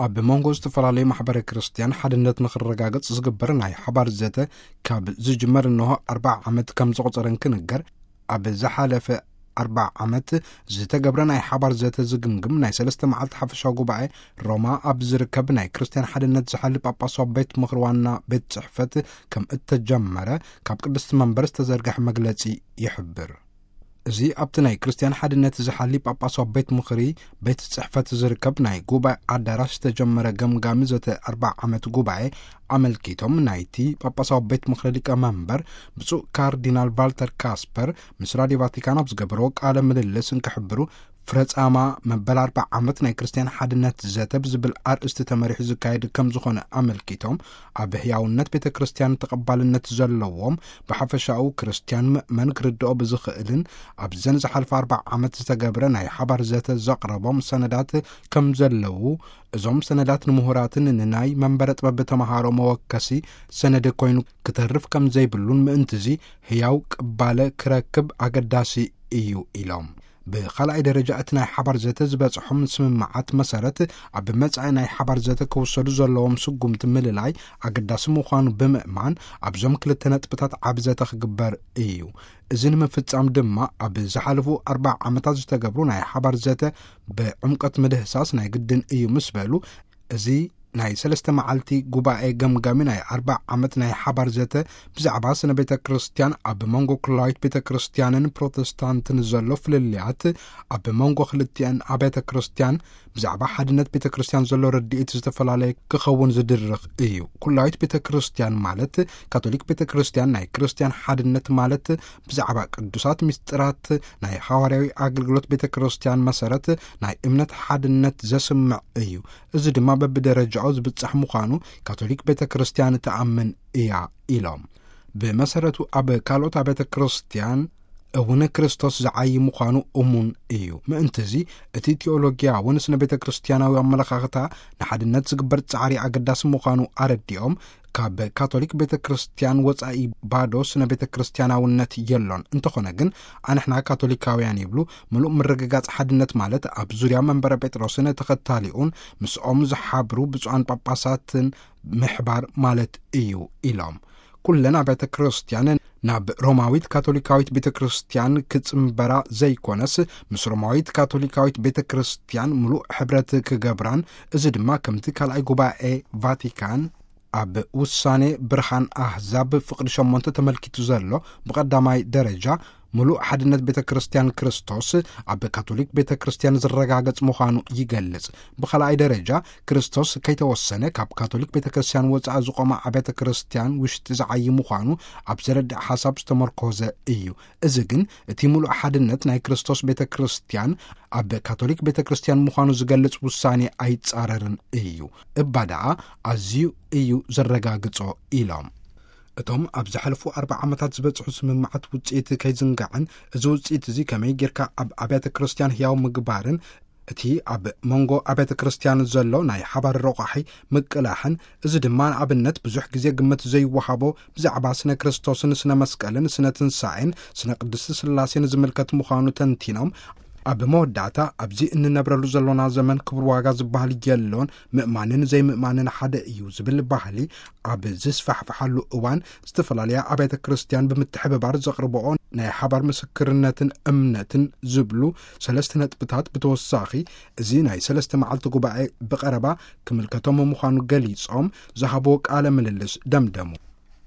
ኣብ መንጎ ዝተፈላለዩ ማሕበረ ክርስቲያን ሓድነት ንኽረጋገጽ ዝግበር ናይ ሓባር ዘተ ካብ ዝጅመር እንሆ ኣርባዓ ዓመት ከም ዘቑጸረ እንክንገር፣ ኣብ ዝሓለፈ ኣርባዓ ዓመት ዝተገብረ ናይ ሓባር ዘተ ዝግምግም ናይ ሰለስተ መዓልቲ ሓፈሻዊ ጉባኤ ሮማ ኣብ ዝርከብ ናይ ክርስቲያን ሓድነት ዝሓሊ ጳጳሳዊ ቤት ምኽሪ ዋና ቤት ጽሕፈት ከም እተጀመረ ካብ ቅድስቲ መንበር ዝተዘርግሐ መግለጺ ይሕብር። እዚ ኣብቲ ናይ ክርስቲያን ሓድነት ዝሓሊ ጳጳሳዊ ቤት ምኽሪ ቤት ጽሕፈት ዝርከብ ናይ ጉባኤ ኣዳራሽ ዝተጀመረ ገምጋሚ ዘተ ኣርባዓ ዓመት ጉባኤ ኣመልኪቶም ናይቲ ጳጳሳዊ ቤት ምኽሪ ሊቀ መንበር ብፁዕ ካርዲናል ቫልተር ካስፐር ምስ ራድዮ ቫቲካን ኣብ ዝገበርዎ ቃለ ምልልስ እንክሕብሩ፣ ፍረጻማ መበል ኣርባዓ ዓመት ናይ ክርስቲያን ሓድነት ዘተ ብዝብል ኣርእስቲ ተመሪሑ ዝካየድ ከም ዝኾነ ኣመልኪቶም፣ ኣብ ህያውነት ቤተ ክርስቲያን ተቐባልነት ዘለዎም ብሓፈሻኡ ክርስቲያን ምእመን ክርድኦ ብዝኽእልን ኣብዘን ዝሓልፈ ኣርባዓ ዓመት ዝተገብረ ናይ ሓባር ዘተ ዘቕረቦም ሰነዳት ከም ዘለዉ፣ እዞም ሰነዳት ንምሁራትን ንናይ መንበረ ጥበብ ተመሃሮ መወከሲ ሰነድ ኮይኑ ክተርፍ ከም ዘይብሉን ምእንትዚ ህያው ቅባለ ክረክብ ኣገዳሲ እዩ ኢሎም። ብኻልኣይ ደረጃ እቲ ናይ ሓባር ዘተ ዝበጽሖም ስምምዓት መሰረት ኣብ መጻኢ ናይ ሓባር ዘተ ክውሰዱ ዘለዎም ስጉምቲ ምልላይ ኣገዳሲ ምዃኑ ብምእማን ኣብዞም ክልተ ነጥብታት ዓቢ ዘተ ክግበር እዩ። እዚ ንምፍጻም ድማ ኣብ ዝሓለፉ ኣርባዓ ዓመታት ዝተገብሩ ናይ ሓባር ዘተ ብዕምቀት ምድህሳስ ናይ ግድን እዩ ምስ በሉ፣ እዚ ናይ ሰለስተ መዓልቲ ጉባኤ ገምጋሚ ናይ ኣርባዓ ዓመት ናይ ሓባር ዘተ ብዛዕባ ስነ ቤተ ክርስቲያን ኣብ መንጎ ኩላዊት ቤተ ክርስቲያንን ፕሮቴስታንትን ዘሎ ፍልልያት፣ ኣብ መንጎ ክልቲአን ኣብያተ ክርስቲያን ብዛዕባ ሓድነት ቤተ ክርስቲያን ዘሎ ረድኤት ዝተፈላለየ ክኸውን ዝድርኽ እዩ። ኩላዊት ቤተ ክርስቲያን ማለት ካቶሊክ ቤተ ክርስቲያን ናይ ክርስቲያን ሓድነት ማለት ብዛዕባ ቅዱሳት ምስጢራት ናይ ሃዋርያዊ ኣገልግሎት ቤተ ክርስቲያን መሰረት ናይ እምነት ሓድነት ዘስምዕ እዩ። እዚ ድማ በብደረጃኡ ዝብጻሕ ምዃኑ ካቶሊክ ቤተ ክርስቲያን ትኣምን እያ ኢሎም። ብመሰረቱ ኣብ ካልኦት ኣብያተ ክርስቲያን እውን ክርስቶስ ዝዓዪ ምዃኑ እሙን እዩ። ምእንትዚ እቲ ቲኦሎጊያውን ስነ ቤተ ክርስቲያናዊ ኣመለኻኽታ ንሓድነት ዝግበር ጻዕሪ ኣገዳሲ ምዃኑ ኣረዲኦም፣ ካብ ካቶሊክ ቤተ ክርስቲያን ወጻኢ ባዶ ስነ ቤተ ክርስቲያናውነት የሎን። እንተኾነ ግን ኣንሕና ካቶሊካውያን ይብሉ፣ ምሉእ ምርግጋጽ ሓድነት ማለት ኣብ ዙርያ መንበረ ጴጥሮስን ተኸታሊኡን ምስኦም ዝሓብሩ ብፁዓን ጳጳሳትን ምሕባር ማለት እዩ ኢሎም። ኩለን ኣብያተ ክርስቲያን ናብ ሮማዊት ካቶሊካዊት ቤተ ክርስቲያን ክጽንበራ ዘይኮነስ፣ ምስ ሮማዊት ካቶሊካዊት ቤተ ክርስቲያን ምሉእ ሕብረት ክገብራን፣ እዚ ድማ ከምቲ ካልኣይ ጉባኤ ቫቲካን ኣብ ውሳኔ ብርሃን ኣህዛብ ፍቕዲ ሸሞንተ ተመልኪቱ ዘሎ፣ ብቐዳማይ ደረጃ ምሉእ ሓድነት ቤተ ክርስቲያን ክርስቶስ ኣብ ካቶሊክ ቤተ ክርስቲያን ዝረጋገጽ ምዃኑ ይገልጽ። ብኻልኣይ ደረጃ ክርስቶስ ከይተወሰነ ካብ ካቶሊክ ቤተ ክርስቲያን ወጻኢ ዝቖማ ኣብያተ ክርስቲያን ውሽጢ ዝዓዪ ምዃኑ ኣብ ዘረድእ ሓሳብ ዝተመርኮዘ እዩ። እዚ ግን እቲ ምሉእ ሓድነት ናይ ክርስቶስ ቤተ ክርስቲያን ኣብ ካቶሊክ ቤተ ክርስቲያን ምዃኑ ዝገልጽ ውሳኔ ኣይጻረርን እዩ። እባ ደኣ ኣዝዩ እዩ ዘረጋግጾ ኢሎም። እቶም ኣብ ዝሓለፉ ኣርባዓ ዓመታት ዝበጽሑ ስምምዓት ውጽኢት ከይዝንጋዕን፣ እዚ ውጽኢት እዚ ከመይ ጌርካ ኣብ ኣብያተ ክርስቲያን ህያው ምግባርን፣ እቲ ኣብ መንጎ ኣብያተ ክርስቲያን ዘሎ ናይ ሓባር ረቋሒ ምቅላሕን፣ እዚ ድማ ንኣብነት ብዙሕ ግዜ ግምት ዘይወሃቦ ብዛዕባ ስነ ክርስቶስን ስነ መስቀልን ስነ ትንሳኤን ስነ ቅድስቲ ስላሴን ዝምልከት ምዃኑ ተንቲኖም፣ ኣብ መወዳእታ ኣብዚ እንነብረሉ ዘሎና ዘመን ክቡር ዋጋ ዝበሃል የሎን፣ ምእማንን ዘይምእማንን ሓደ እዩ ዝብል ባህሊ ኣብ ዝስፋሕፍሓሉ እዋን፣ ዝተፈላለያ ኣብያተ ክርስቲያን ብምትሕብባር ዘቕርብኦ ናይ ሓባር ምስክርነትን እምነትን ዝብሉ ሰለስተ ነጥብታት ብተወሳኺ፣ እዚ ናይ ሰለስተ መዓልቲ ጉባኤ ብቐረባ ክምልከቶም ምዃኑ ገሊጾም ዝሃብዎ ቃለ ምልልስ ደምደሙ።